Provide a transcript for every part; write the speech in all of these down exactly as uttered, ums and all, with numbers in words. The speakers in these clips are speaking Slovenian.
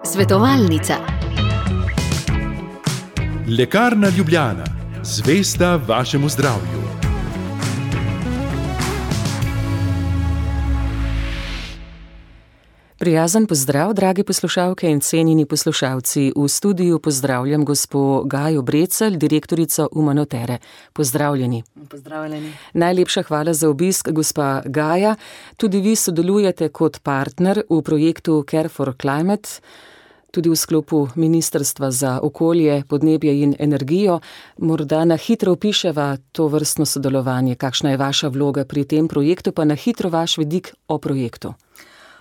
Svetovalnica. Lekarna Ljubljana, zvesta vašemu zdravju. Prijazen pozdrav, dragi poslušalke in cenjeni poslušalci. V studiu pozdravljam gospo Gajo Brecelj, direktorico Umanotere. Pozdravljeni. Pozdravljeni. Najlepša hvala za obisk, gospa Gaja. Tudi vi sodelujete kot partner v projektu Care for Climate, tudi v sklopu Ministrstva za okolje, podnebje in energijo. Morda na hitro opiševa to vrstno sodelovanje, kakšna je vaša vloga pri tem projektu, pa na hitro vaš vidik o projektu.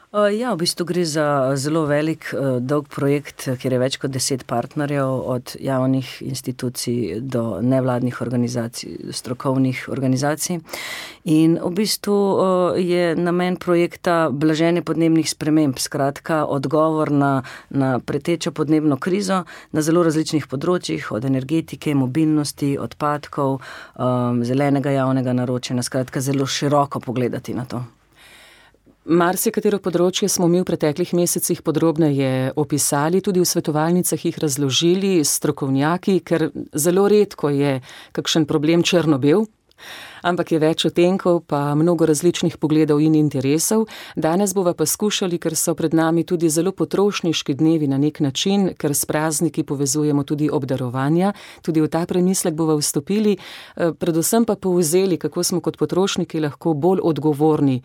Ja, v bistvu gre za zelo velik, dolg projekt, kjer je več kot deset partnerjev, od javnih institucij do nevladnih organizacij, strokovnih organizacij. In v bistvu je namen projekta blaženje podnebnih sprememb, skratka odgovor na, na pretečo podnebno krizo na zelo različnih področjih, od energetike, mobilnosti, odpadkov, zelenega javnega naročanja, skratka zelo široko pogledati na to. Marsikatero področje smo mi v preteklih mesecih podrobneje opisali, tudi v svetovalnicah jih razložili s strokovnjaki, ker zelo redko je kakšen problem črno-bel, ampak je več odtenkov, pa mnogo različnih pogledov in interesov. Danes bova pa skušali, ker so pred nami tudi zelo potrošniški dnevi na nek način, ker s prazniki povezujemo tudi obdarovanja, tudi v ta premislek bova vstopili, predvsem pa povzeli, kako smo kot potrošniki lahko bolj odgovorni,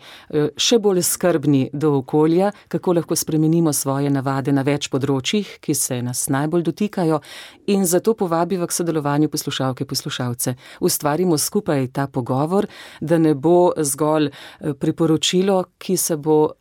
še bolj skrbni do okolja, kako lahko spremenimo svoje navade na več področjih, ki se nas najbolj dotikajo, in zato povabiva k sodelovanju poslušalke, poslušalce. Ustvarimo skupaj ta pogovor, da ne bo zgolj priporočilo, ki se bo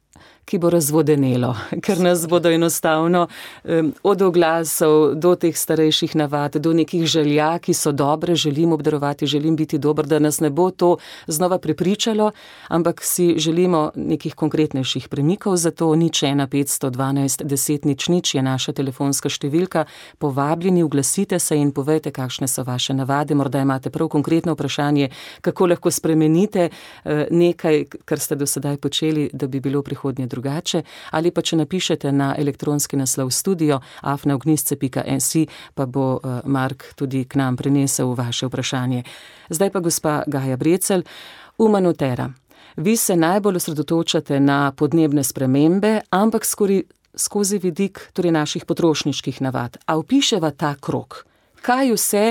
ki bo razvodenelo, ker nas bodo enostavno um, od oglasov do teh starejših navad, do nekih želja, ki so dobre, želim obdarovati, želim biti dober, da nas ne bo to znova prepričalo, ampak si želimo nekih konkretnejših premikov, zato nič ena petsto dvanajst deset nič nič je naša telefonska številka. Povabljeni, oglasite se in povejte, kakšne so vaše navade, morda imate prav konkretno vprašanje, kako lahko spremenite uh, nekaj, kar ste do sedaj počeli, da bi bilo v prihodnje drugače, ali pa če napišete na elektronski naslov studio afna ognjisce pika si, pa bo uh, Mark tudi k nam prinesel vaše vprašanje. Zdaj pa gospa Gaja Brecelj, Umanotera. Vi se najbolj osredotočate na podnebne spremembe, ampak skori, skozi vidik torej naših potrošniških navad. A opiševa ta krog? Kaj vse,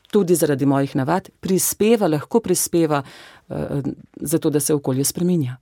tudi zaradi mojih navad, prispeva, lahko prispeva uh, za to, da se okolje spreminja?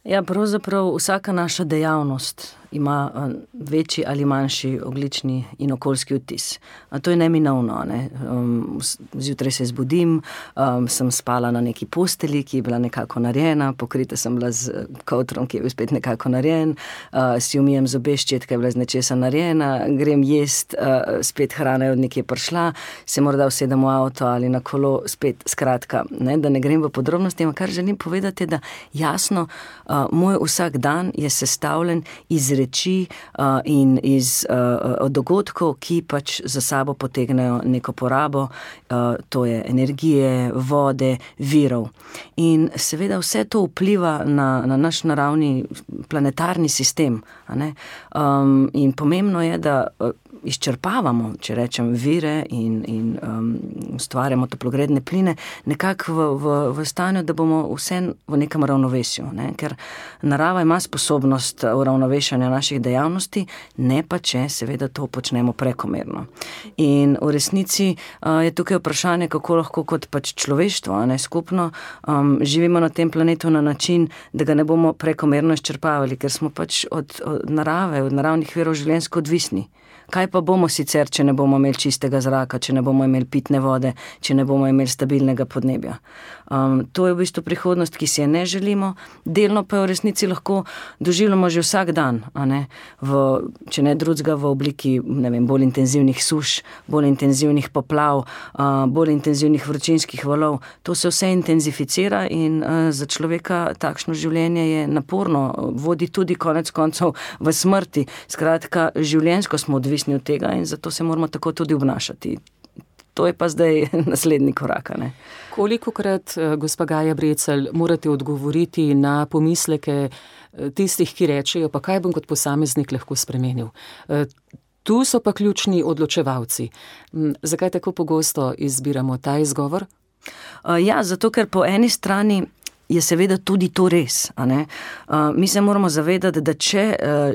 Ja, pravzaprav vsaka naša dejavnost ima večji ali manjši ogljični in okoljski odtis. A to je neminovno. Ne? Um, zjutraj se zbudim, um, sem spala na neki posteli, ki je bila nekako narejena, pokrita sem bila z kovtrom, ki je bil spet nekako narejen, uh, si umijem zobe, ščetka je bila z nečesa narejena, grem jest, uh, spet hrana je od nekje prišla, se morda usedem v avto ali na kolo, spet skratka, ne? Da ne grem v podrobnosti, ampak kar želim povedati, da jasno, uh, moj vsak dan je sestavljen iz reči uh, in iz uh, dogodkov, ki pač za sabo potegnejo neko porabo, uh, to je energije, vode, virov. In seveda vse to vpliva na, na naš naravni planetarni sistem. A ne? Um, in pomembno je, da uh, izčrpavamo, če rečem, vire in, in um, ustvarjamo toplogredne pline nekako v, v, v stanju, da bomo vse v nekem ravnovesju. Ne? Ker narava ima sposobnost uravnovešanja naših dejavnosti, ne pa če seveda to počnemo prekomerno. In v resnici uh, je tukaj vprašanje, kako lahko kot pač človeštvo, ne, skupno, um, živimo na tem planetu na način, da ga ne bomo prekomerno izčrpavali, ker smo pač od, od narave, od naravnih virov življenjsko odvisni. Kaj pa bomo sicer, če ne bomo imeli čistega zraka, če ne bomo imeli pitne vode, če ne bomo imeli stabilnega podnebja? Um, to je v bistvu prihodnost, ki si je ne želimo, delno pa v resnici lahko doživljamo že vsak dan, a ne? V, če ne drugega v obliki, ne vem, bolj intenzivnih suš, bolj intenzivnih poplav, uh, bolj intenzivnih vročinskih valov. To se vse intenzificira in uh, za človeka takšno življenje je naporno, vodi tudi konec koncev v smrti. Skratka, življenjsko smo odvisni od tega in zato se moramo tako tudi obnašati. to je pa zdaj naslednji korak. Ne? Kolikokrat, gospa Gaja Brecelj, morate odgovoriti na pomisleke tistih, ki rečejo, pa kaj bom kot posameznik lahko spremenil? Tu so pa ključni odločevalci. Zakaj tako pogosto izbiramo ta izgovor? Ja, zato ker po eni strani je seveda tudi to res. A ne? Mi se moramo zavedati, da če,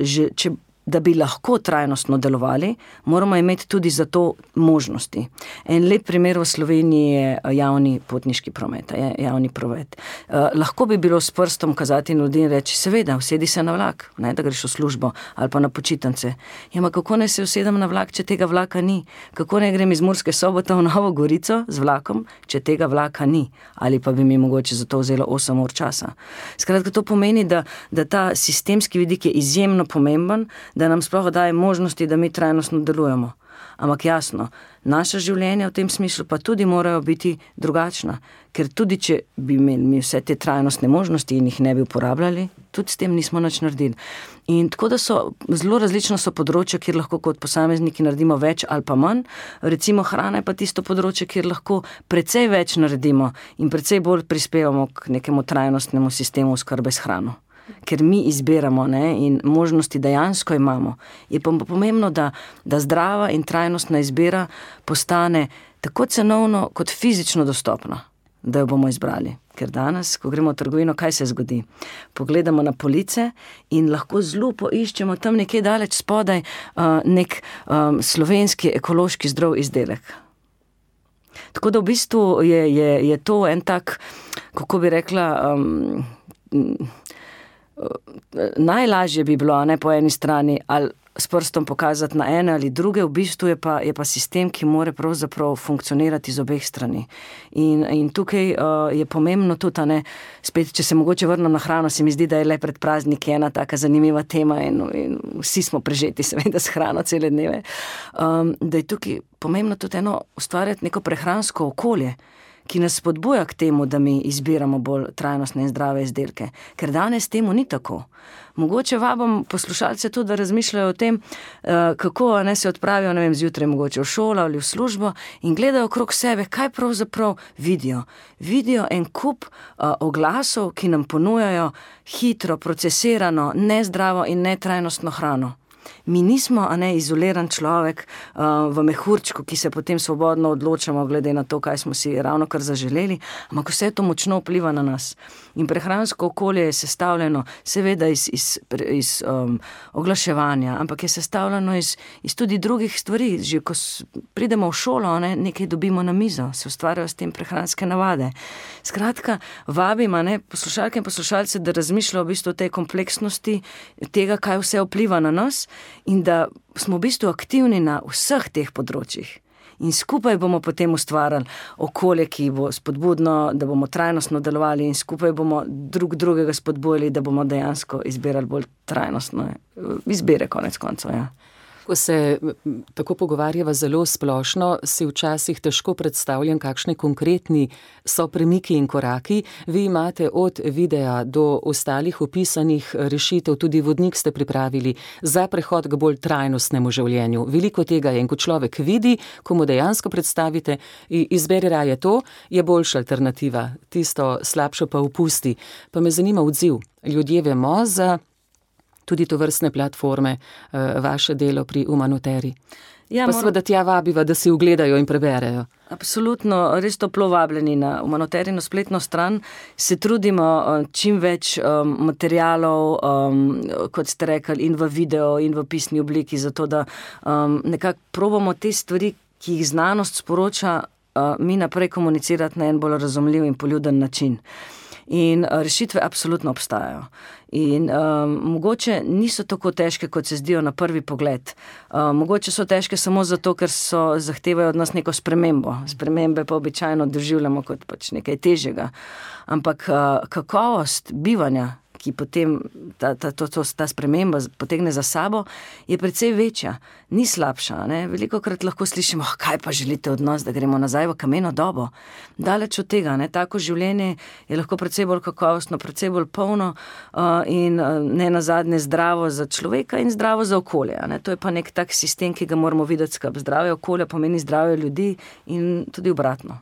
že, če da bi lahko trajnostno delovali, moramo imeti tudi za to možnosti. En lep primer v Sloveniji je javni potniški promet, javni promet. Uh, lahko bi bilo s prstom kazati in ljudi in reči, seveda, usedi se na vlak, ne, da greš v službo ali pa na počitnice. Ja, ma kako ne se usedem na vlak, če tega vlaka ni? Kako ne grem iz Murske Sobote v Novo Gorico z vlakom, če tega vlaka ni? Ali pa bi mi mogoče za to vzelo osem ur časa. Skratka, to pomeni, da, da ta sistemski vidik je izjemno pomemben, da nam sploh daje možnosti, da mi trajnostno delujemo. Ampak jasno, naša življenja v tem smislu pa tudi morajo biti drugačna, ker tudi če bi imeli mi vse te trajnostne možnosti in jih ne bi uporabljali, tudi s tem nismo nič naredili. In tako da so zelo različno so področja, kjer lahko kot posamezniki naredimo več ali pa manj. Recimo hrana je pa tisto področje, kjer lahko precej več naredimo in precej bolj prispevamo k nekemu trajnostnemu sistemu oskrbe s hrano. Ker mi izbiramo, ne, in možnosti dejansko imamo. Je pa pomembno, da, da zdrava in trajnostna izbira postane tako cenovno kot fizično dostopna, da jo bomo izbrali. Ker danes, ko gremo v trgovino, kaj se zgodi? Pogledamo na police in lahko zelo poiščemo tam nekje daleč spodaj uh, nek um, slovenski ekološki zdrav izdelek. Tako da v bistvu je, je, je to en tak, kako bi rekla, um, najlažje bi bilo, ne, po eni strani, ali s prstom pokazati na ene ali druge, v bistvu je pa, je pa sistem, ki mora pravzaprav funkcionirati z obeh strani. In, in tukaj uh, je pomembno tudi, ne, spet, če se mogoče vrnem na hrano, se mi zdi, da je le pred prazniki ena taka zanimiva tema in, in vsi smo prežeti seveda s hrano cele dneve, um, da je tukaj pomembno tudi eno ustvarjati neko prehransko okolje, ki nas spodbuja k temu, da mi izbiramo bolj trajnostne in zdrave izdelke. Ker danes temu ni tako. Mogoče vabim poslušalce tudi, da razmišljajo o tem, kako ne se odpravijo, ne vem, zjutraj mogoče v šolo ali v službo in gledajo okrog sebe, kaj pravzaprav vidijo. Vidijo en kup uh, oglasov, ki nam ponujajo hitro, procesirano, nezdravo in netrajnostno hrano. Mi nismo, a ne, izoliran človek uh, v mehurčku, ki se potem svobodno odločamo glede na to, kaj smo si ravno kar zaželeli, ampak vse to močno vpliva na nas. In prehransko okolje je sestavljeno seveda iz, iz, iz um, oglaševanja, ampak je sestavljeno iz, iz tudi drugih stvari. Že ko pridemo v šolo, ne, nekaj dobimo na mizo, se ustvarjajo s tem prehranske navade. Skratka, vabim, a ne, poslušalke in poslušalce, da razmišljajo v bistvu o tej kompleksnosti tega, kaj vse vpliva na nas, in da smo v bistvu aktivni na vseh teh področjih. In skupaj bomo potem ustvarjali okolje, ki bo spodbudno, da bomo trajnostno delovali in skupaj bomo drug drugega spodbujali, da bomo dejansko izbirali bolj trajnostno izbire konec koncev, ja. Ko se tako pogovarjava zelo splošno, si včasih težko predstavljam, kakšni konkretni so premiki in koraki. Vi imate od videa do ostalih opisanih rešitev, tudi vodnik ste pripravili za prehod k bolj trajnostnemu življenju. Veliko tega je in ko človek vidi, ko mu dejansko predstavite, izberi raje to, je boljša alternativa, tisto slabšo pa opusti. Pa me zanima odziv. Ljudje vemo za tudi to vrstne platforme, vaše delo pri Umanoteri. Ja, pa seveda tja vabiva, da si ugledajo in preberejo. Absolutno, res toplo vabljeni na Umanoterino spletno stran. Se trudimo čim več um, materialov, um, kot ste rekli, in v video, in v pisni obliki, zato da um, nekako probamo te stvari, ki jih znanost sporoča, uh, mi naprej komunicirati na en bolj razumljiv in poljuden način. In rešitve absolutno obstajajo. In um, mogoče niso tako težke, kot se zdijo na prvi pogled. Um, mogoče so težke samo zato, ker so zahtevajo od nas neko spremembo. Spremembe pa običajno doživljamo kot pač nekaj težjega. Ampak uh, kakovost bivanja, ki potem ta, ta, to, to, ta sprememba potegne za sabo, je precej večja, ni slabša. Ne? Velikokrat lahko slišimo, oh, kaj pa želite od nas, da gremo nazaj v kameno dobo. Daleč od tega, ne? Tako življenje je lahko precej bolj kakovostno, precej bolj polno uh, in uh, ne nazadnje zdravo za človeka in zdravo za okolje. Ne? To je pa nek tak sistem, ki ga moramo videti skrb. Zdravje okolja pomeni zdravje ljudi in tudi obratno.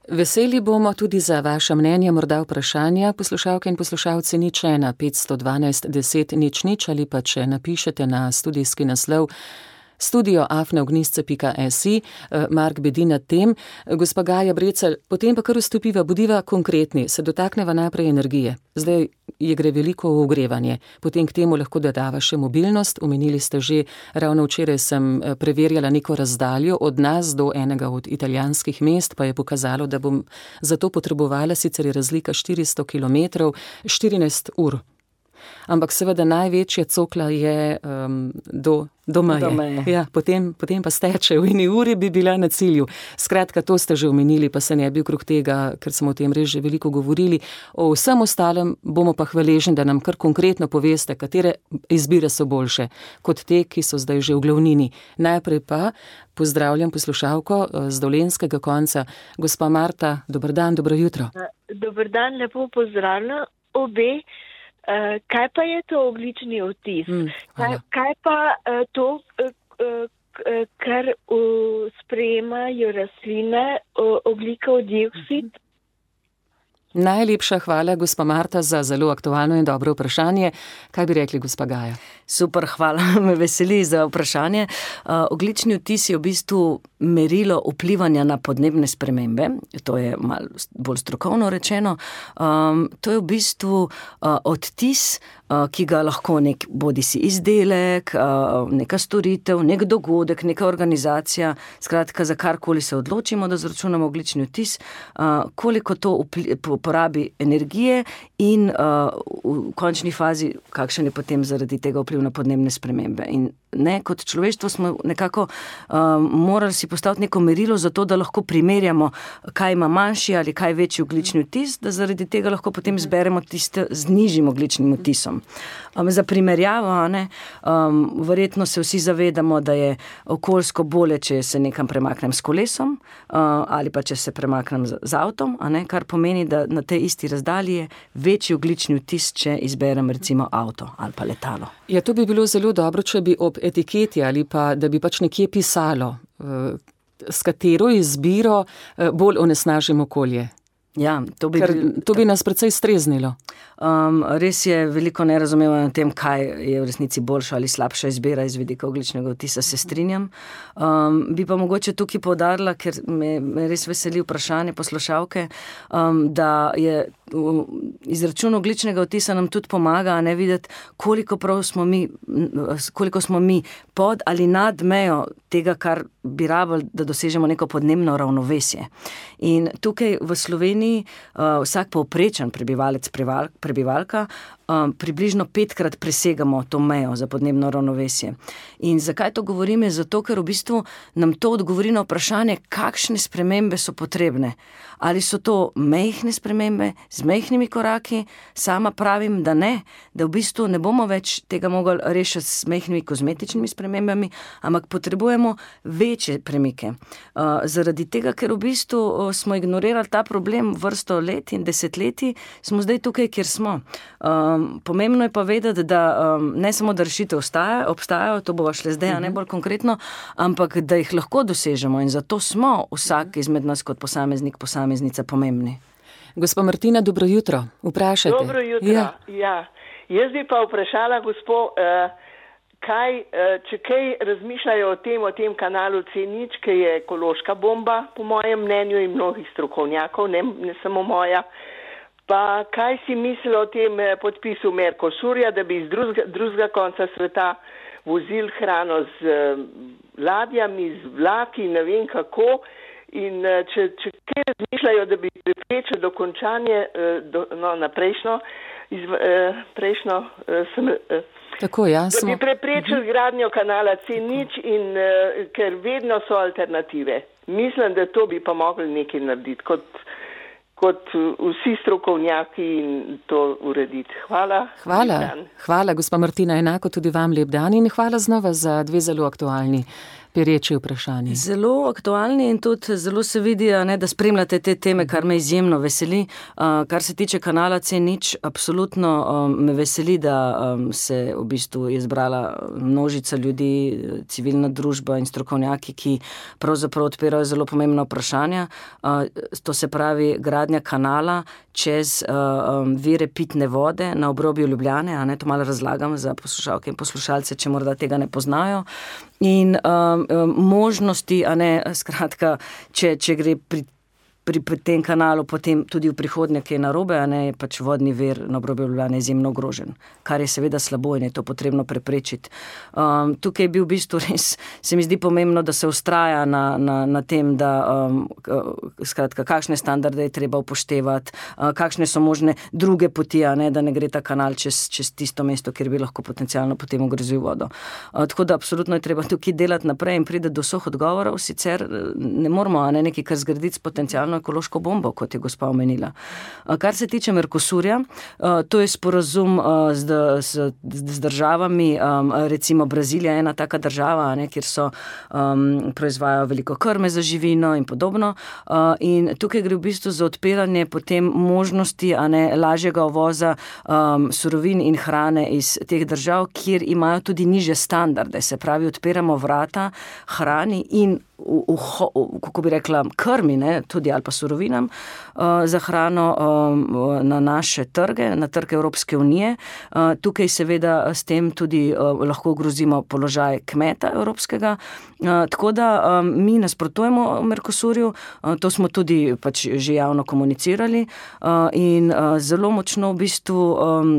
Veseli bomo tudi za vaše mnenje, morda vprašanja. Poslušalke in poslušalci nič ena petsto dvanajst deset nič nič ali pa če napišete na studijski naslov studio afna ognjisce pika si, Mark bedi nad tem. Gospa Gaja Brecelj, potem pa kar vstopiva, bodiva konkretni, se dotakneva najprej energije. Zdaj je gre veliko v ogrevanje, potem k temu lahko dodava še mobilnost. Omenili ste že, ravno včeraj sem preverjala neko razdaljo od nas do enega od italijanskih mest, pa je pokazalo, da bom za to potrebovala, sicer je razlika štiristo kilometrov, štirinajst ur. Ampak seveda največja cokla je um, do, do meje. Ja, potem, potem pa steče, v eni uri bi bila na cilju. Skratka, to ste že omenili, pa se ne bi okrog tega, ker smo o tem res že veliko govorili. O vsem ostalem bomo pa hvaležni, da nam kar konkretno poveste, katere izbire so boljše kot te, ki so zdaj že v glavnini. Najprej pa pozdravljam poslušalko z dolenjskega konca, gospa Marta. Dober dan, dobro jutro. Dober dan, lepo pozdravljam obe. Uh, kaj pa je to ogljični odtis? Mm, kaj, kaj pa uh, to, uh, uh, kar uh, sprejemajo rastline, uh, ogljikov dioksid? Mm-hmm. Najlepša hvala, gospa Marta, za zelo aktualno in dobro vprašanje. Kaj bi rekli, gospa Gaja? Super, hvala, me veseli za vprašanje. Uh, ogljični odtis je v bistvu merilo vplivanja na podnebne spremembe, to je malo bolj strokovno rečeno. Um, to je v bistvu uh, odtis, uh, ki ga lahko nek bodisi izdelek, uh, neka storitev, nek dogodek, neka organizacija, skratka za karkoli se odločimo, da zračunamo ogljični odtis, uh, koliko to vpliva, porabi energije in uh, v končni fazi, kakšen je potem zaradi tega vpliv na podnebne spremembe. In ne, kot človeštvo smo nekako um, morali si postaviti neko merilo za to, da lahko primerjamo, kaj ima manjši ali kaj večji ogljični odtis, da zaradi tega lahko potem zberemo tiste z nižjim ogljičnim odtisom. Um, za primerjavo, ne, um, verjetno se vsi zavedamo, da je okoljsko bolje, če se nekam premaknem s kolesom uh, ali pa če se premaknem z, z avtom, a ne, kar pomeni, da na tej isti razdalji je večji ogljični odtis, če izberem recimo avto ali pa letalo. Ja, to bi bilo zelo dobro, če bi ob etiketi ali pa, da bi pač nekje pisalo, s katero izbiro bolj onesnažimo okolje. Ja, to bi, Ker, to bi nas precej streznilo. Um, res je veliko nerazumevanja o tem, kaj je v resnici boljša ali slabša izbira iz vidika ogljičnega odtisa, se strinjam. Um, bi pa mogoče tukaj poudarila, ker me, me res veseli vprašanje poslušalke, um, da je izračun ogljičnega odtisa nam tudi pomaga, ne videti, koliko prav smo mi, koliko smo mi pod ali nad mejo tega, kar bi rabili, da dosežemo neko podnebno ravnovesje. In tukaj v Sloveniji uh, vsak povprečen prebivalec, prebivalka, um, približno petkrat presegamo to mejo za podnebno ravnovesje. In zakaj to govorim? Je zato, ker v bistvu nam to odgovori na vprašanje, kakšne spremembe so potrebne. Ali so to mehne spremembe z mehkimi koraki? Sama pravim, da ne, da v bistvu ne bomo več tega mogli rešiti s mehkimi kozmetičnimi spremembami, ampak potrebujemo večje premike. Uh, zaradi tega, ker v bistvu uh, smo ignorirali ta problem vrsto let in desetletij, smo zdaj tukaj, kjer smo. Um, pomembno je pa vedeti, da um, ne samo, da rešitev obstajajo, obstajajo, to bova šle zdaj, a ne bolj konkretno, ampak da jih lahko dosežemo in zato smo vsak izmed nas kot posameznik, posameznica pomembni. Gospa Martina, dobro jutro. Vprašajte. Dobro jutro, ja. ja. Jaz bi pa vprašala gospo, uh, kaj, uh, če kaj razmišljajo o tem, o tem kanalu C nič, ki je ekološka bomba, po mojem mnenju in mnogih strokovnjakov, ne, ne samo moja. Pa kaj si mislijo o tem podpisu Mercosurja, da bi iz drugega, drugega konca sveta vozil hrano z uh, ladjami, z vlaki, ne vem kako. In uh, če, če kaj razmišljajo, da bi preprečili dokončanje uh, do, no, na prejšnjo, izv, uh, prejšnjo uh, sem, uh, Tako, ja, da bi preprečili gradnjo kanala C nič, in, uh, ker vedno so alternative. Mislim, da to bi pa mogli nekaj narediti. Kot kot vsi strokovnjaki in to urediti. Hvala. Hvala, hvala gospa Martina, enako tudi vam lep dan in hvala znova za dve zelo aktualni pereči vprašanji. Zelo aktualni in tudi zelo se vidi, ne, da spremljate te teme, kar me izjemno veseli. Uh, kar se tiče kanala C nič, absolutno um, me veseli, da um, se v bistvu je zbrala množica ljudi, civilna družba in strokovnjaki, ki pravzaprav odpirajo zelo pomembna vprašanja. Uh, to se pravi gradnja kanala čez uh, um, vire pitne vode na obrobju Ljubljane, a ne, to malo razlagam za poslušalke in poslušalce, če morda tega ne poznajo. In um, možnosti, a ne, skratka, če, če gre pri, pri, pri tem kanalu potem tudi v prihodnje kaj narobe, a ne, je pač vodni vir na obrobju Ljubljane izjemno ogrožen, kar je seveda slabo in je to potrebno preprečiti. Um, tukaj je bil v bistvu res, se mi zdi pomembno, da se ustraja na, na, na tem, da um, skratka, kakšne standarde je treba upoštevati, uh, kakšne so možne druge poti, a ne, da ne gre ta kanal čez, čez tisto mesto, kjer bi lahko potencialno potem ogrozil vodo. Uh, tako da absolutno je treba tukaj delati naprej in pride do vseh odgovorov, sicer ne moramo, a ne, nekaj kar zgraditi s potencialno ekološko bombo, kot je gospa omenila. Kar se tiče Mercosurja, to je sporazum z, z, z državami, recimo Brazilija je ena taka država, ne, kjer so um, proizvajajo veliko krme za živino in podobno. In tukaj gre v bistvu za odpiranje potem možnosti, a ne, lažjega uvoza um, surovin in hrane iz teh držav, kjer imajo tudi nižje standarde. Se pravi, odpiramo vrata hrani in v, v, v, kako bi rekla, krmi, ne, tudi ali pa surovinam uh, za hrano um, na naše trge, na trge Evropske unije. Uh, tukaj seveda s tem tudi uh, lahko ogrozimo položaj kmeta evropskega. Uh, tako da um, mi nasprotujemo Mercosurju, uh, to smo tudi pač že javno komunicirali uh, in uh, zelo močno v bistvu um,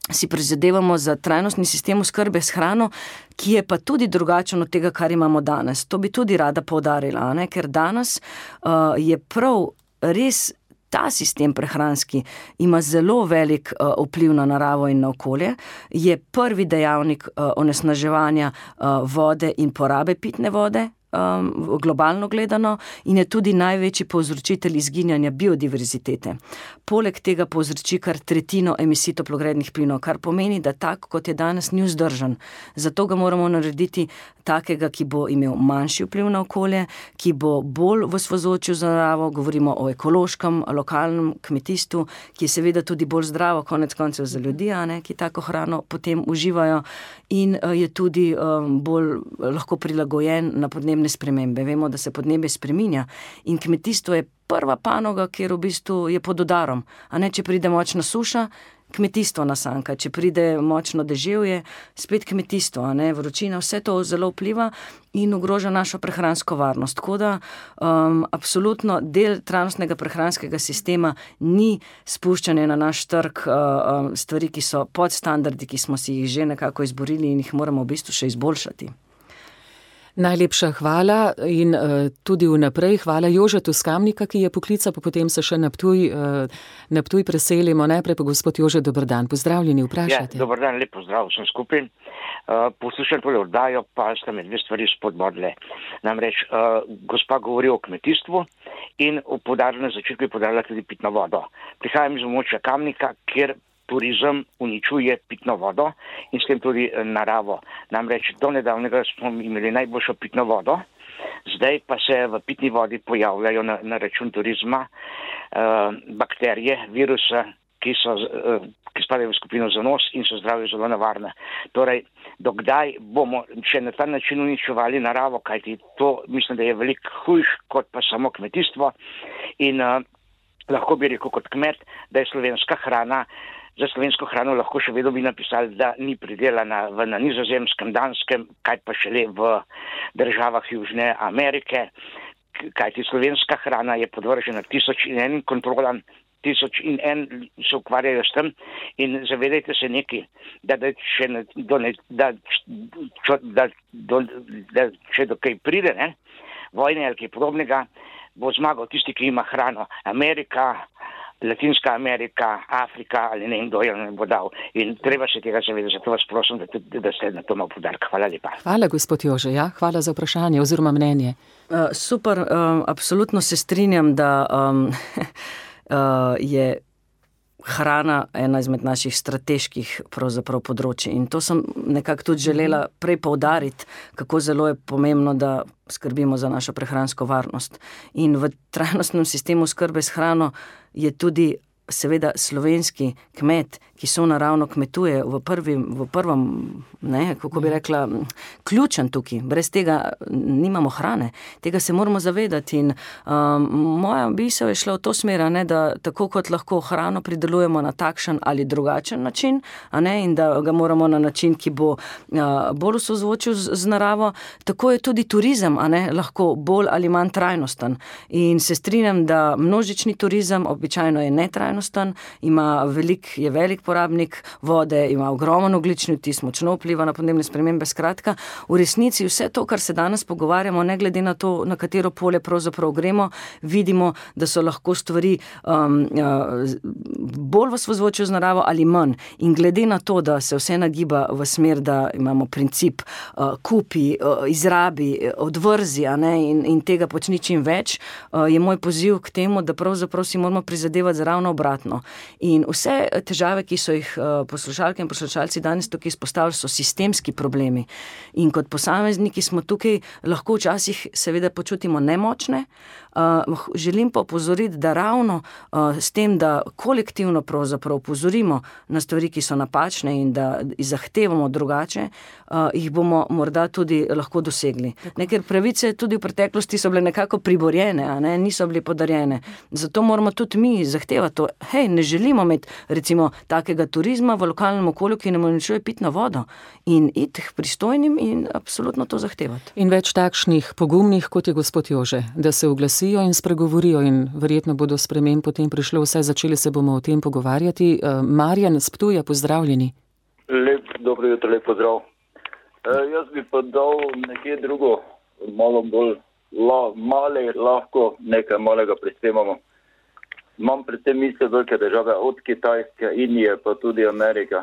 si prizadevamo za trajnostni sistem oskrbe s hrano, ki je pa tudi drugačen od tega, kar imamo danes. To bi tudi rada poudarila, ne? Ker danes uh, je prav res ta sistem prehranski ima zelo velik uh, vpliv na naravo in na okolje, je prvi dejavnik uh, onesnaževanja uh, vode in porabe pitne vode, Um, globalno gledano, in je tudi največji povzročitelj izginjanja biodiverzitete. Poleg tega povzroči kar tretjino emisij toplogrednih plinov, kar pomeni, da tak, kot je danes, ni vzdržen. Zato ga moramo narediti takega, ki bo imel manjši vpliv na okolje, ki bo bolj v sozvočju z naravo, govorimo o ekološkem, lokalnem kmetijstvu, ki je seveda tudi bolj zdravo, konec koncev za ljudi, a ne, ki tako hrano potem uživajo in uh, je tudi um, bolj lahko prilagojen na podnebne spremembe. Vemo, da se podnebje spreminja in kmetijstvo je prva panoga, kjer v bistvu je pod udarom. A ne, če pride močna suša, kmetijstvo nasanka, če pride močno deževje, spet kmetijstvo, a ne, vročina, vse to zelo vpliva in ogroža našo prehransko varnost. Tako da um, absolutno del trajnostnega prehranskega sistema ni spuščanje na naš trg uh, stvari, ki so pod standardi, ki smo si jih že nekako izborili in jih moramo v bistvu še izboljšati. Najlepša hvala in uh, tudi vnaprej hvala Jožetu Skamnika, ki je poklical, pa potem se še na Ptuj, uh, na Ptuj preselimo. Najprej pa gospod Jože, dober dan, pozdravljeni, vprašajte. Ja, dober dan, lep pozdrav vsem skupaj. Uh, poslušam tole oddajo, pa sta me dve stvari spodbodle. Namreč, uh, gospa govori o kmetijstvu in v podarju na začetku je podarila tudi pitno vodo. Prihajam iz območja Kamnika, kjer turizem uničuje pitno vodo in s tem tudi naravo. Namreč do nedavnega smo imeli najboljšo pitno vodo, zdaj pa se v pitni vodi pojavljajo na, na račun turizma uh, bakterije, virusa, ki, so, uh, ki spadajo v skupino zanos in so zdravje zelo nevarne. Torej, dokdaj bomo še na ta način uničevali naravo, kajti to mislim, da je veliko hujš kot pa samo kmetijstvo in uh, lahko bi rekel kot kmet, da je slovenska hrana. Za slovensko hrano lahko še vedno bi napisali, da ni pridelana v, na Nizozemskem, Danskem, kaj pa šele v državah Južne Amerike, kajti slovenska hrana je podvržena tisoč in enim kontrolam, tisoč in en se ukvarjajo s tem in zavedajte se nekaj, da, da, če, do, da, čo, da, do, da če do kaj pride, ne, vojne ali kaj podobnega, bo zmagal tisti, ki ima hrano. Amerika, Latinska Amerika, Afrika ali ne vem, kdo je ne bo dal. In treba se tega zavedati, zato vas prosim, da, da ste na to malo podarka. Hvala lepa. Hvala, gospod Jože, ja, hvala za vprašanje oziroma mnenje. Uh, super, um, absolutno se strinjam, da um, uh, je hrana ena izmed naših strateških pravzaprav področji. In to sem nekako tudi želela prej poudariti, kako zelo je pomembno, da skrbimo za našo prehransko varnost. In v trajnostnem sistemu skrbe s hrano je tudi seveda slovenski kmet, ki so naravno kmetuje v prvem, v prvem, ne, kako bi rekla, ključen tukaj. Brez tega nimamo hrane. Tega se moramo zavedati in um, moja misel je šla v to smer, ne, da tako kot lahko hrano pridelujemo na takšen ali drugačen način, a ne, in da ga moramo na način, ki bo uh, bolj v sozvočju z, z naravo, tako je tudi turizem, a ne, lahko bolj ali manj trajnosten. In se strinjam, da množični turizem običajno je netrajnosten, ima velik, je velik porabnik vode, ima ogromen ogljični odtis, močno vpliva na podnebne spremembe. Skratka, v resnici vse to, kar se danes pogovarjamo, ne glede na to, na katero polje pravzaprav gremo, vidimo, da so lahko stvari um, uh, bolj v sozvočju z naravo ali manj. In glede na to, da se vse nagiba v smer, da imamo princip uh, kupi, uh, izrabi, odvrzi, a ne, in, in tega počni čim več, uh, je moj poziv k temu, da pravzaprav si moramo prizadevati za ravno obratno. In vse težave, ki so jih poslušalke in poslušalci danes tukaj izpostavili, so sistemski problemi. In kot posamezniki smo tukaj lahko včasih seveda počutimo nemočne. Želim pa opozoriti, da ravno s tem, da kolektivno pravzaprav opozorimo na stvari, ki so napačne in da zahtevamo drugače, jih bomo morda tudi lahko dosegli. Ne, ker pravice tudi v preteklosti so bile nekako priborjene, a ne, niso bile podarjene. Zato moramo tudi mi zahtevati to. Hej, ne želimo imeti recimo takega turizma v lokalnem okolju, ki nam uničuje pitno vodo, in iti k pristojnim in absolutno to zahtevati. In več takšnih pogumnih, kot je gospod Jože, da se oglasijo in spregovorijo in verjetno bodo sprememb potem prišlo, vsaj začeli se bomo o tem pogovarjati. Marjan s Ptuja, pozdravljeni. Lep, dobro jutro, lep pozdrav. E, jaz bi pa dal nekje drugo, malo bolj la, male, lahko nekaj malega prispevamo. Imam predvsem misle velike države, od Kitajske, Indije, pa tudi Amerika,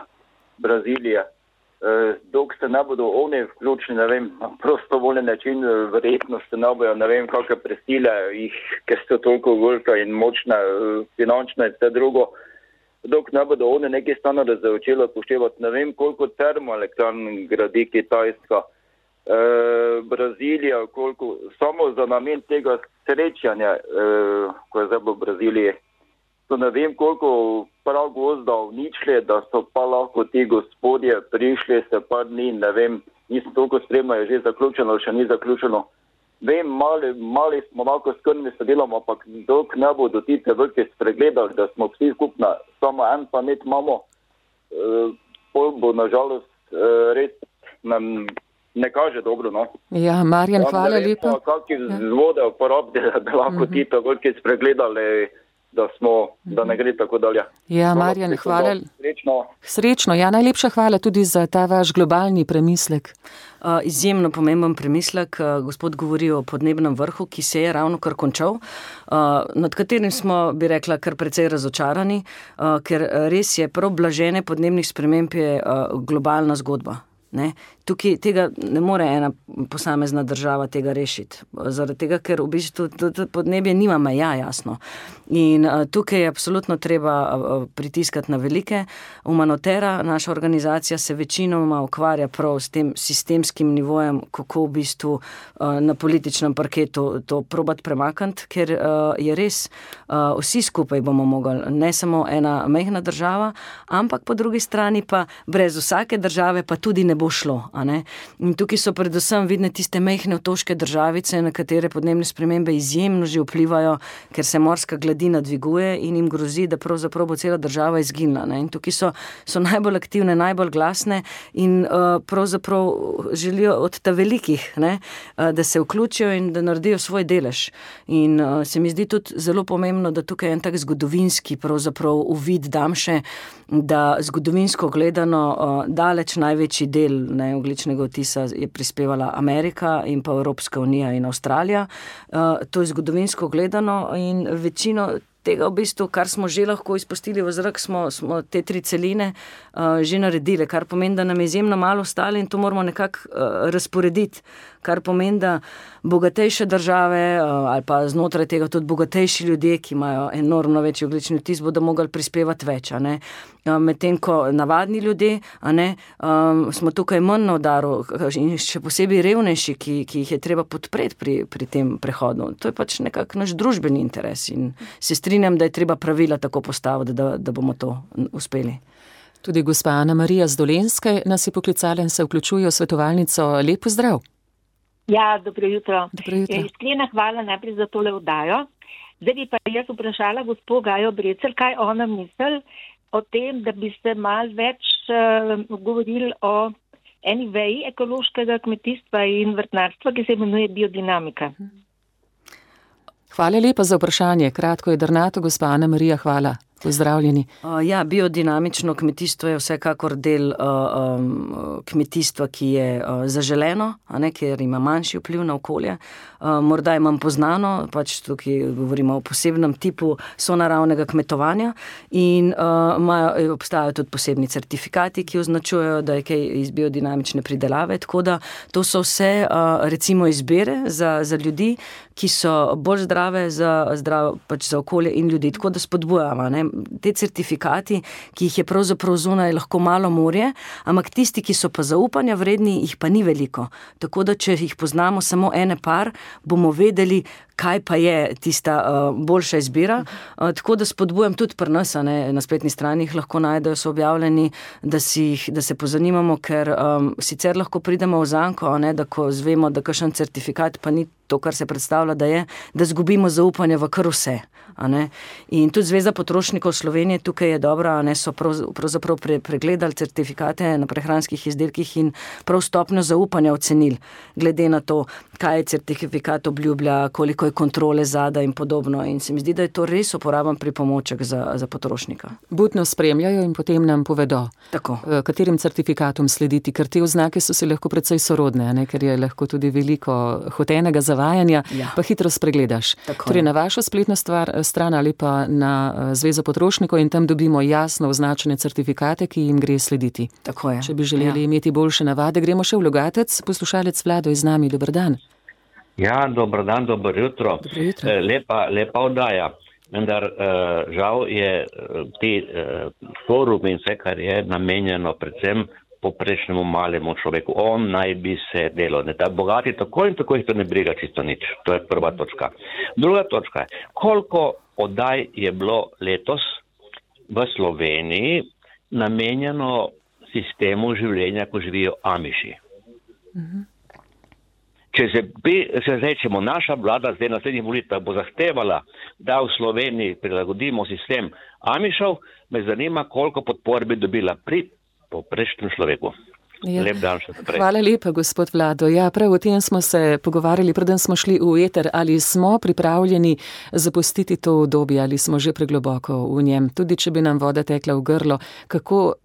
Brazilije. E, dok se ne bodo oni vključili, ne vem, prostovoljni način, verjetno se ne bojo, ne vem, kakve prisile, jih, ker so toliko velike in močne, finančne in vse drugo. Dok ne bodo oni neki standarde začeli upoštevati, ne vem, koliko termoelektrarn gradi Kitajska, e, Brazilija, koliko, samo za namen tega srečanja, e, ko je zdaj v Braziliji, to ne vem, koliko prav gozda uničili, da so pa lahko ti gospodje prišli se par dni, ne vem, nisem toliko spremno, je že zaključeno, še ni zaključeno. Vem, mali, mali smo lahko skrbni se delamo, ampak dok ne bodo ti te velike spregledali, da smo vsi skupna, samo en planet imamo, e, pol bo nažalost e, res nam ne kaže dobro, no. Ja, Marjan, hvala lepa. Kakšne vzvode uporabiti, da bi lahko ti to velike spregledali, da smo, da ne gre tako dalje. Ja, Marjan, hvala. Srečno. Srečno, ja, najlepša hvala tudi za ta vaš globalni premislek. Uh, izjemno pomemben premislek. Uh, gospod govori o podnebnem vrhu, ki se je ravno kar končal, uh, nad katerim smo, bi rekla, kar precej razočarani, uh, ker res je prav blaženje podnebnih sprememb je uh, globalna zgodba. Ne? Tukaj tega ne more ena posamezna država tega rešiti. Zaradi tega, ker v bistvu podnebje nima meja, jasno. In uh, tukaj je absolutno treba uh, pritiskati na velike. Humanotera, naša organizacija, se večinoma ukvarja prav s tem sistemskim nivojem, kako v bistvu uh, na političnem parketu to probati premakniti, ker uh, je res, uh, vsi skupaj bomo mogli, ne samo ena majhna država, ampak po drugi strani pa brez vsake države pa tudi ne bo šlo. A ne? In tukaj so predvsem vidne tiste majhne otoške državice, na katere podnebne spremembe izjemno že vplivajo, ker se morska gladina dviguje in jim grozi, da pravzaprav bo cela država izginila. Ne? In tukaj so, so najbolj aktivne, najbolj glasne in uh, pravzaprav želijo od ta velikih, ne? Uh, da se vključijo in da naredijo svoj delež. In uh, se mi zdi tudi zelo pomembno, da tukaj je en tak zgodovinski pravzaprav uvid dam še, da zgodovinsko gledano uh, daleč največji del, ne, ogljičnega odtisa je prispevala Amerika in pa Evropska unija in Avstralija. Uh, to je zgodovinsko gledano in večino tega v bistvu, kar smo že lahko izpustili v zrak, smo, smo te tri celine uh, že naredili, kar pomeni, da nam je izjemno malo ostalo in to moramo nekako uh, razporediti, kar pomeni, da bogatejše države uh, ali pa znotraj tega tudi bogatejši ljudje, ki imajo enormno večji ogljični odtis, bodo mogli prispevati več, a ne. Uh, medtem ko navadni ljudje, a ne, um, smo tukaj manj na udaru in še posebej revnejši, ki, ki jih je treba podpreti pri, pri tem prehodu. To je pač nekako naš družbeni interes in se strinjam, da je treba pravila tako postaviti, da, da bomo to uspeli. Tudi gospa Ana Marija z Dolenjske nas je poklicala in se vključuje v svetovalnico. Lep pozdrav. Ja, dobro jutro. Dobro jutro. Iskrena hvala najprej za tole oddajo. Zdaj bi pa jaz vprašala gospod Gajo Brecelj, kaj ona misli o tem, da bi se malo več uh, govorili o eni veji ekološkega kmetijstva in vrtnarstva, ki se imenuje biodinamika. Hvala lepa za vprašanje. Kratko je drnato, gospa Ana Marija, hvala. Pozdravljeni. Uh, ja, biodinamično kmetijstvo je vsekakor del uh, um, kmetijstva, ki je uh, zaželeno, a ne, ker ima manjši vpliv na okolje. Uh, morda je manj poznano, pač tukaj govorimo o posebnem tipu sonaravnega kmetovanja in uh, majo, obstajajo tudi posebni certifikati, ki označujejo, da je kaj iz biodinamične pridelave, tako da to so vse uh, recimo izbire za, za ljudi, ki so bolj zdrave za, zdrav, pač za okolje in ljudi, tako da spodbujamo, ne. Te certifikati, ki jih je pravzaprav zunaj lahko malo morje, ampak tisti, ki so pa zaupanja vredni, jih pa ni veliko. Tako da, če jih poznamo samo ene par, bomo vedeli, kaj pa je tista uh, boljša izbira. Uh, tako da spodbujam tudi pri nas, ne, na spletni strani jih lahko najdejo, so objavljeni, da, si jih, da se pozanimamo, ker um, sicer lahko pridemo v zanko, ne, da ko zvemo, da kakšen certifikat pa ni to, kar se predstavlja, da je, da zgubimo zaupanje v kar vse. A ne. In tudi Zveza potrošnikov Slovenije tukaj je dobra, a ne, so prav, pravzaprav pre, pregledali certifikate na prehranskih izdelkih in prav stopnjo zaupanja ocenili, glede na to, kaj je certifikat obljublja, koliko je kontrole zada in podobno. In se mi zdi, da je to res uporaben pripomoček za, za potrošnika. Budno spremljajo in potem nam povedo, tako, katerim certifikatom slediti, ker te oznake so se lahko precej sorodne, ne, ker je lahko tudi veliko hotenega zavajanja, ja. Pa hitro spregledaš. Tako, torej, na vašo spletno stvar, stran ali pa na Zvezo potrošnikov in tam dobimo jasno označene certifikate, ki jim gre slediti. Tako je. Če bi želeli ja. imeti boljše navade, gremo še v Logatec. Poslušalec Vlado je z nami. Dober dan. Ja, dober dan, dober jutro. Dobro jutro. Lepa, lepa oddaja. Vendar žal je ti forum in vse, kar je namenjeno predvsem poprečnemu malemu človeku. On naj bi se delal. Ne, ta bogati tako in tako jih to ne briga čisto nič. To je prva točka. Druga točka je, koliko oddaj je bilo letos v Sloveniji namenjeno sistemu življenja, ko živijo Amiši. Mhm. Če se, se rečemo, naša vlada zdaj na naslednjih volitvah bo zahtevala, da v Sloveniji prilagodimo sistem Amišov, me zanima, koliko podpor bi dobila pri poprečnem človeku. Ja. Lep dan še naprej. Hvala lepa, gospod Vlado. Ja, prav o tem smo se pogovarjali, preden smo šli v eter, ali smo pripravljeni zapustiti to obdobje, ali smo že pregloboko v njem. Tudi če bi nam voda tekla v grlo, kako...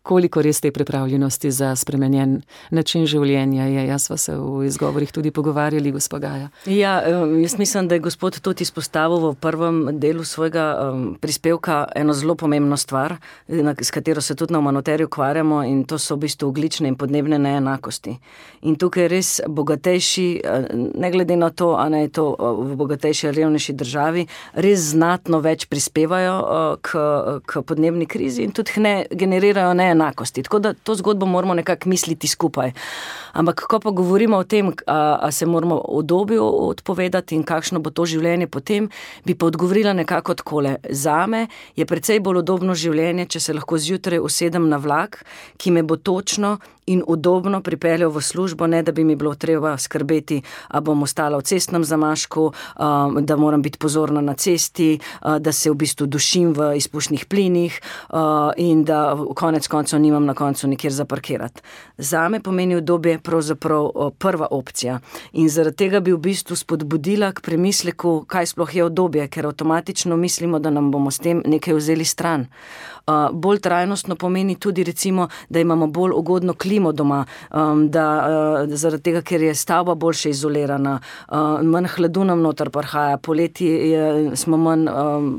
Koliko res te pripravljenosti za spremenjen način življenja je? Jaz sva se v izgovorih tudi pogovarjali, gospod Gaja. Ja, jaz mislim, da je gospod tudi izpostavil v prvem delu svojega um, prispevka eno zelo pomembno stvar, s katero se tudi na Humanitariju ukvarjamo, in to so v bistvu ogljične in podnebne neenakosti. In tukaj res bogatejši, ne glede na to, a ne je to v bogatejši ali revnejši državi, res znatno več prispevajo uh, k, k podnebni krizi in tudi ne generirajo ne enakosti. Tako da to zgodbo moramo nekako misliti skupaj. Ampak, ko pa govorimo o tem, a, a se moramo obdobju odpovedati in kakšno bo to življenje potem, bi pa odgovorila nekako takole. Zame je precej bolj udobno življenje, če se lahko zjutraj usedem na vlak, ki me bo točno in udobno pripeljal v službo, ne da bi mi bilo treba skrbeti, a bom ostala v cestnem zamašku, da moram biti pozorna na cesti, da se v bistvu dušim v izpušnih plinih in da konec koncev koncu nimam na koncu nikjer zaparkirati. Zame pomeni udobje pravzaprav prva opcija in zaradi tega bi v bistvu spodbudila k premisleku, kaj sploh je udobje, ker avtomatično mislimo, da nam bomo s tem nekaj vzeli stran. Uh, bolj trajnostno pomeni tudi recimo, da imamo bolj ugodno klimo doma, um, da uh, zaradi tega, ker je stavba boljše izolirana, uh, manj hladu nam noter prihaja, poleti je, smo manj um,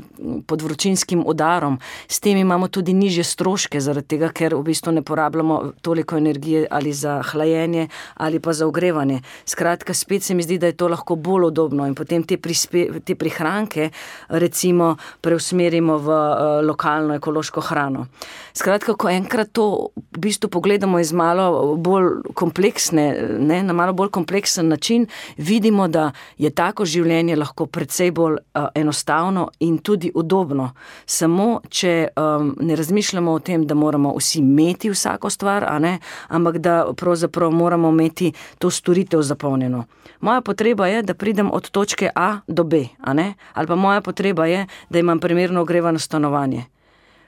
pod vročinskim udarom, s tem imamo tudi nižje stroške, zaradi tega, ker v bistvu ne porabljamo toliko energije ali za hlajenje ali pa za ogrevanje. Skratka, spet se mi zdi, da je to lahko bolj udobno in potem te, prispe, te prihranke recimo preusmerimo v uh, lokalno ekološko hrano. Skratka, ko enkrat to v bistvu pogledamo iz malo bolj kompleksne, ne, na malo bolj kompleksen način, vidimo, da je tako življenje lahko precej bolj uh, enostavno in tudi udobno. Samo, če um, ne razmišljamo o tem, da moramo vsi imeti vsako stvar, a ne, ampak da pravzaprav moramo imeti to storitev zapolnjeno. Moja potreba je, da pridem od točke A do B, a ne, ali pa moja potreba je, da imam primerno ogrevano stanovanje.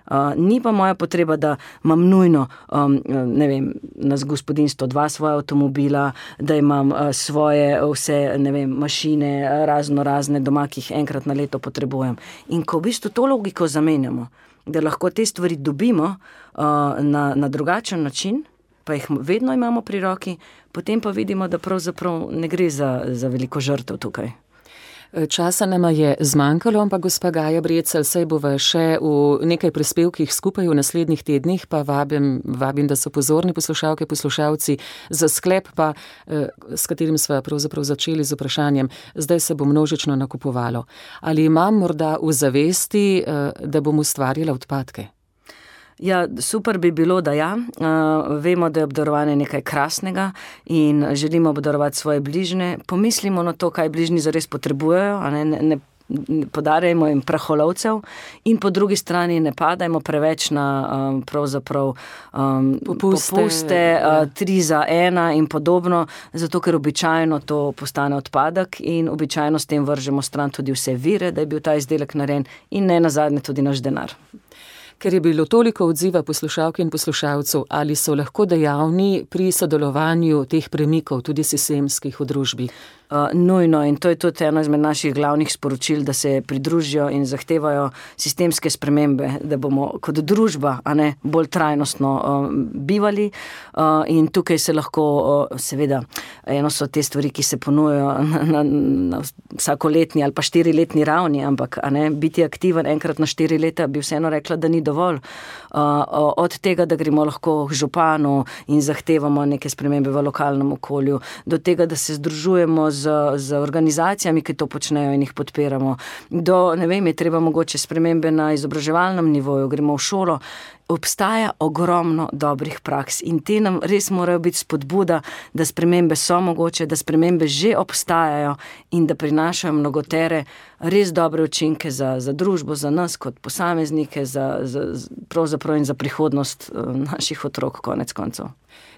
Uh, ni pa moja potreba, da imam nujno, um, ne vem, na gospodinjstvo dva svoja avtomobila, da imam uh, svoje vse, ne vem, mašine, razno razne doma, ki jih enkrat na leto potrebujem. In ko v bistvu to logiko zamenjamo, da lahko te stvari dobimo uh, na, na drugačen način, pa jih vedno imamo pri roki, potem pa vidimo, da pravzaprav ne gre za, za veliko žrtev tukaj. Časa nama je zmanjkalo, ampak gospa Gaja Brecelj, saj bova še v nekaj prispevkih skupaj v naslednjih tednih, pa vabim, vabim, da so pozorni poslušalke, poslušalci, za sklep pa, s katerim sva pravzaprav začeli z vprašanjem, zdaj se bo množično nakupovalo. Ali imam morda v zavesti, da bom ustvarjala odpadke? Ja, super bi bilo, da ja. Uh, vemo, da je obdarovanje nekaj krasnega in želimo obdarovati svoje bližnje. Pomislimo na to, kaj bližnji zares potrebujejo, a ne, ne, ne podarjajmo jim praholovcev in po drugi strani ne padajmo preveč na um, pravzaprav um, popuste, popuste uh, tri za ena in podobno, zato ker običajno to postane odpadek in običajno s tem vržemo stran tudi vse vire, da je bil ta izdelek narejen in ne nazadnje tudi naš denar. Ker je bilo toliko odziva poslušalk in poslušalcev, ali so lahko dejavni pri sodelovanju teh premikov, tudi sistemskih v družbi? Uh, nujno in to je tudi eno izmed naših glavnih sporočil, da se pridružijo in zahtevajo sistemske spremembe, da bomo kot družba, a ne, bolj trajnostno uh, bivali uh, in tukaj se lahko, uh, seveda, eno so te stvari, ki se ponujajo na, na, na vsakoletni ali pa štiriletni ravni, ampak a ne, biti aktiven enkrat na štiri leta bi vseeno rekla, da ni dovolj. Uh, od tega, da gremo lahko k županu in zahtevamo neke spremembe v lokalnem okolju, do tega, da se združujemo z, z organizacijami, ki to počnejo in jih podpiramo, do, ne vem, je treba mogoče spremembe na izobraževalnem nivoju, gremo v šolo. Obstaja ogromno dobrih praks in te nam res morajo biti spodbuda, da spremembe so mogoče, da spremembe že obstajajo in da prinašajo mnogotere res dobre učinke za, za družbo, za nas kot posameznike, za, za, pravzaprav in za prihodnost naših otrok konec koncev.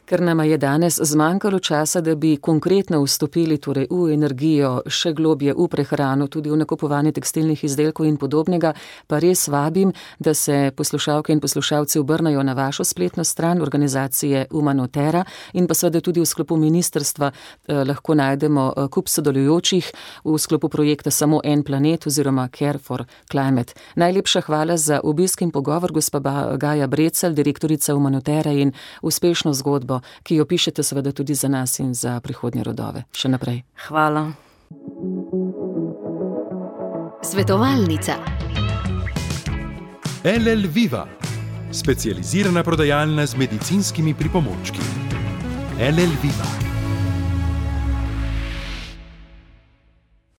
Ker nama je danes zmanjkalo časa, da bi konkretno vstopili torej v energijo, še globje v prehrano, tudi v nakupovanje tekstilnih izdelkov in podobnega, pa res vabim, da se poslušalke in poslušalci obrnajo na vašo spletno stran organizacije Umanotera in pa seveda tudi v sklopu ministrstva eh, lahko najdemo eh, kup sodelujočih v sklopu projekta Samo en planet oziroma Care for Climate. Najlepša hvala za obisk in pogovor, gospa Gaja Brecelj, direktorica Umanotera, in uspešno zgodbo, ki jo pišete seveda tudi za nas in za prihodnje rodove. Še naprej. Hvala. Svetovalnica. L L Viva, specializirana prodajalna z medicinskimi pripomočki. L L Viva.